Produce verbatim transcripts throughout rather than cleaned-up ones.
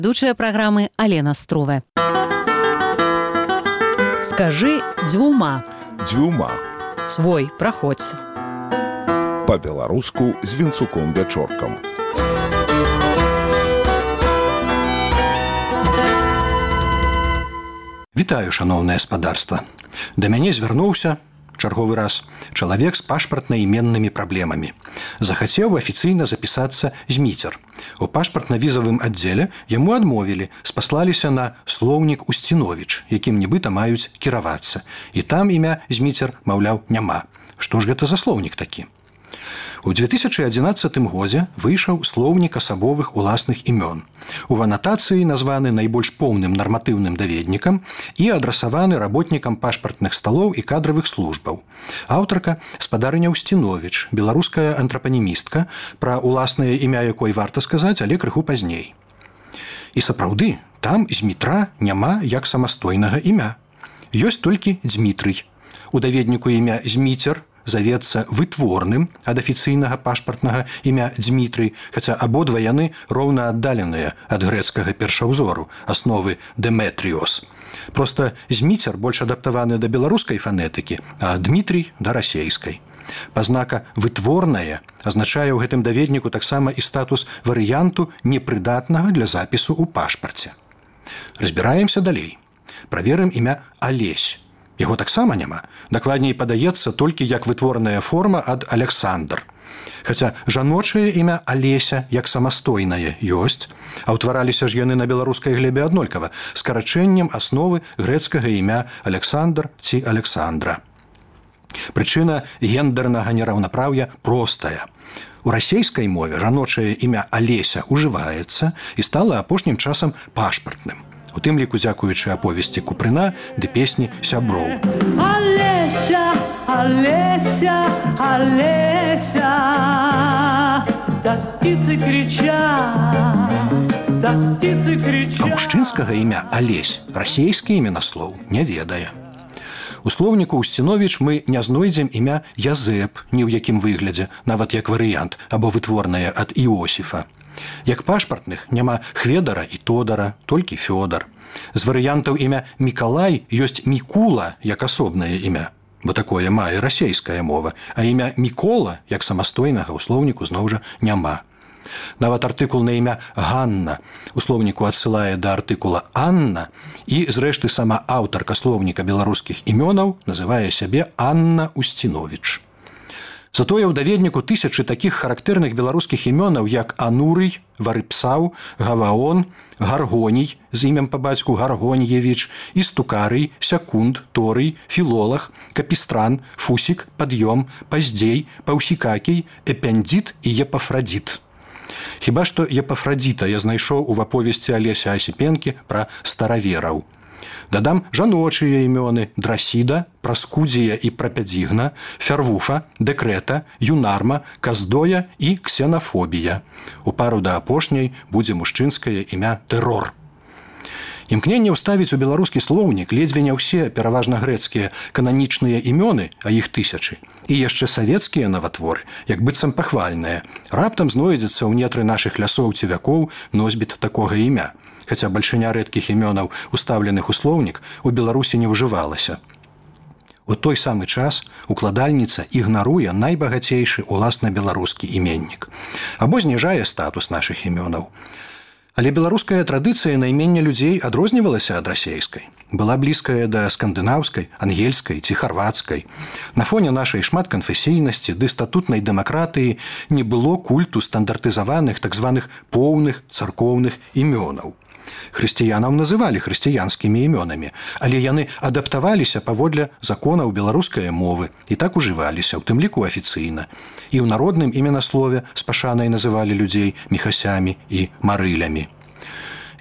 Ведучая праграмы Алена Струве. Скажи дзвюма. Дзвюма. Свой, праходзь. Па-беларуску з Вінцуком Вячоркам. Вітаю, шаноўнае спадарства. Да мяне звярнуўся чарговы раз чалавек з пашпартна-іменнымі праблемамі. Захацеў афіцыйна запісацца зміцер. У пашпартна-візавым аддзеле яму адмовілі, спаслаліся на слоўнік Усціновіч, якім нібыта маюць кіравацца. І там імя зміцер, маўляў, няма. Што ж гэта за слоўнік такі? У две тысячы адзінаццатым годзе выйшаў слоўнік асабовых уласных імён. У анатацыі названы найбольш поўным нарматыўным даведнікам і адрасаваны работнікам пашпартных сталоў і кадравых службаў. Аўтарка спадарыня Усціновіч, беларуская антрапанімістка, пра уласнае імя якой варта сказаць, але крыху пазней. І сапраўды, там Змітра няма як самастойнага імя. Ёсць толькі Дзмітрый. У даведніку імя Зміцер завецца вытворным ад афіцыйнага пашпартнага імя Дзмітрый, хаця абодва яны роўна аддаленыя ад грэцкага першаўзору, асновы Деметріос. Проста Зміцер больш адаптаваны да беларускай фанетыкі, а Дмітрый да расейскай. Пазнака «вытворная» азначае ў гэтым даведніку таксама і статус варыянту непрыдатнага для запісу ў пашпарце. Разбіраемся далей. Праверым імя Алесь. Яго таксама няма. Дакладней падаецца толькі як вытворная форма ад Александр. Хаця жаночае імя Алеся як самастойнае ёсць, а ўтвараліся ж яны на беларускай глебе аднолькава, скарачэннем асновы грэцкага імя Александр ці Александра. Прычына гендернага нераўнапраўя простая. У расейскай мове жаночае імя Алеся ўжываецца і стала апошнім часам пашпартным. У тым ліку дзякуючы аповесці Купрына ды песні сяброў. Алеся, Алеся, Алеся, да птицы кричат, да птицы кричат. А мужчынскага імя Алесь расейскі іменаслоў не ведае. У слоўніку Усціновіч мы не знойдзем імя Язэп ні ў якім выглядзе, нават як варыянт, або вытворнае ад Іосіфа. Як пашпартных няма Хведара і Тодара, толькі Фёдар. З варыянтаў імя Мікалай ёсць Мікула як асобнае імя, бо такое мае расейская мова, а імя Мікола як самастойнага ў слоўніку зноў жа няма. Нават артыкул на імя Ганна у слоўніку адсылае да артыкула Анна і, зрэшты, сама аўтарка слоўніка беларускіх імёнаў называе сябе Анна Усціновіч. Затое ў даведніку тысячы такіх характэрных беларускіх імёнаў, як Анурый, Варыпсаў, Гаваон, Гаргоній з імем па бацьку Гаргоньевіч, Істукарый, Сякунд, Торый, Філолах, Капістран, Фусік, Пад'ём, Паздзей, Паўсікакій, Эпяндзіт і Епафрадзіт. Хіба што Епафрадзіта я знайшоў у аповесці Алеся Асіпенкі пра старавераў. Дадам жаночыя імёны Драсіда, Праскудзія і Прапядзігна, Фярвуфа, Дэкрэта, Юнарма, Каздоя і Ксенафобія. У пару да апошняй будзе мужчынскае імя Тэрор. Імкненне ўставіць у беларускі слоўнік ледзьве не ўсе, пераважна грэцкія, кананічныя імёны, а іх тысячы, і яшчэ савецкія наватворы, як быццам пахвальныя, раптам знойдзецца ў нетры нашых лясоў ці вякоў носьбіт такога імя. Хаця бальшыня рэдкіх імёнаў, устаўленых у слоўнік, у Беларусі не ўжывалася. У той самы час укладальніца ігнаруе найбагацейшы уласна беларускі іменнік або зніжае статус нашых імёнаў. Але беларуская традыцыя наймення людзей адрознівалася ад расейскай. Была блізкая да скандынаўскай, ангельскай ці харвацкай. На фоне нашай шматканфесійнасці ды статутнай дэмакратыі не было культу стандартызаваных так званых поўных царкоўных імёнаў. Хрысціянаў называлі хрысціянскімі імёнамі, але яны адаптаваліся паводле законаў беларускай мовы і так ужываліся, у тым ліку афіцыйна. І ў народным іменаслове з пашанай называлі людзей міхасямі і марылямі.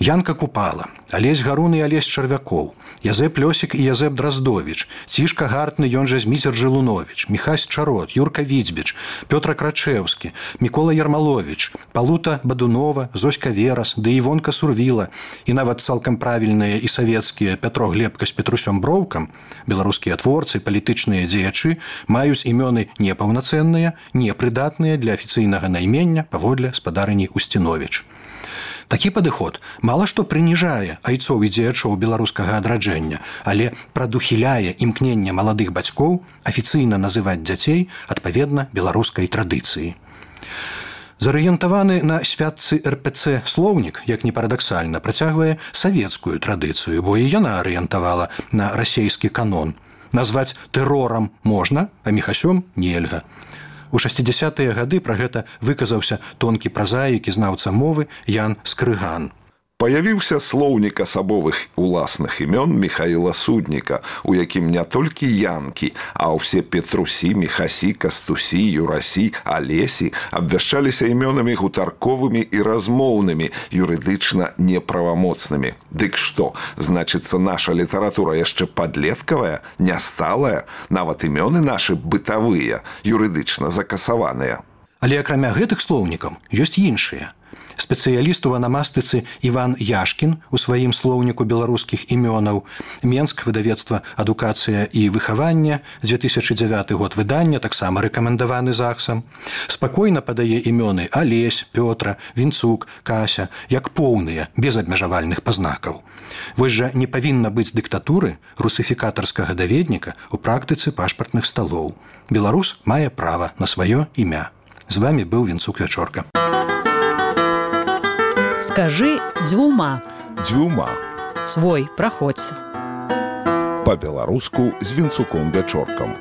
Янка Купала, Алесь Гарун і Алесь Чарвякоў, Язэп Лёсік і Язэп Драздовіч, Цішка Гартны, ён жа Зміцер Жылуновіч, Міхась Чарот, Юрка Відзьбіч, Пётра Крачэўскі, Мікола Ярмаловіч, Палута Бадунова, Зоська Верас, ды Івонка Сурвіла і нават цалкам правільныя і савецкія Пятро Глебка з Петрусём Броўкам, беларускія творцы, палітычныя дзеячы маюць імёны непаўнацэнныя, непрыдатныя для афіцыйнага наймення паводле спадарыні Усціновіч. Такі падыход мала што прыніжае айцоў і дзеячоў беларускага адраджэння, але прадухіляе імкненне маладых бацькоў афіцыйна называць дзяцей адпаведна беларускай традыцыі. Зарыентаваны на святцы эр пэ цэ слоўнік, як не парадаксальна, працягвае савецкую традыцыю, бо і яна арыентавала на расейскі канон. Назваць тэрорам можна, а міхасём нельга. У шэсцідзясятыя гады пра гэта выказаўся тонкі празаік і знаўца мовы Ян Скрыган. Паявіўся слоўнік асабовых уласных імён Міхаіла Судніка, у якім не толькі янкі, а ўсе Петрусі, Міхасі, Кастусі, Юрасі, Алесі абвяшчаліся імёнамі гутарковымі і размоўнымі, юрыдычна неправамоцнымі. Дык што, значыцца, наша літаратура яшчэ падлеткавая, нясталая, нават імёны нашы бытавыя, юрыдычна закасаваныя. Але акрамя гэтых слоўнікаў ёсць іншыя. Спецыяліст у анамастыцы Іван Яшкін у сваім слоўніку беларускіх імёнаў, Менск, выдавецтва «Адукацыя і выхаванне», дзве тысячы дзявяты год выдання, таксама рэкамендаваны ЗАГСам, спакойна падае імёны Алесь, Пётра, Вінцук, Кася, як поўныя, без абмежавальных пазнакаў. Вось жа не павінна быць дыктатуры русыфікатарскага даведніка ў практыцы пашпартных сталоў. Беларус мае права на сваё імя. З вамі быў Вінцук Вячорка. Скажы дзвюма. Дзвюма. Свой праходзь. Па-беларуску з Вінцуком Вячоркам.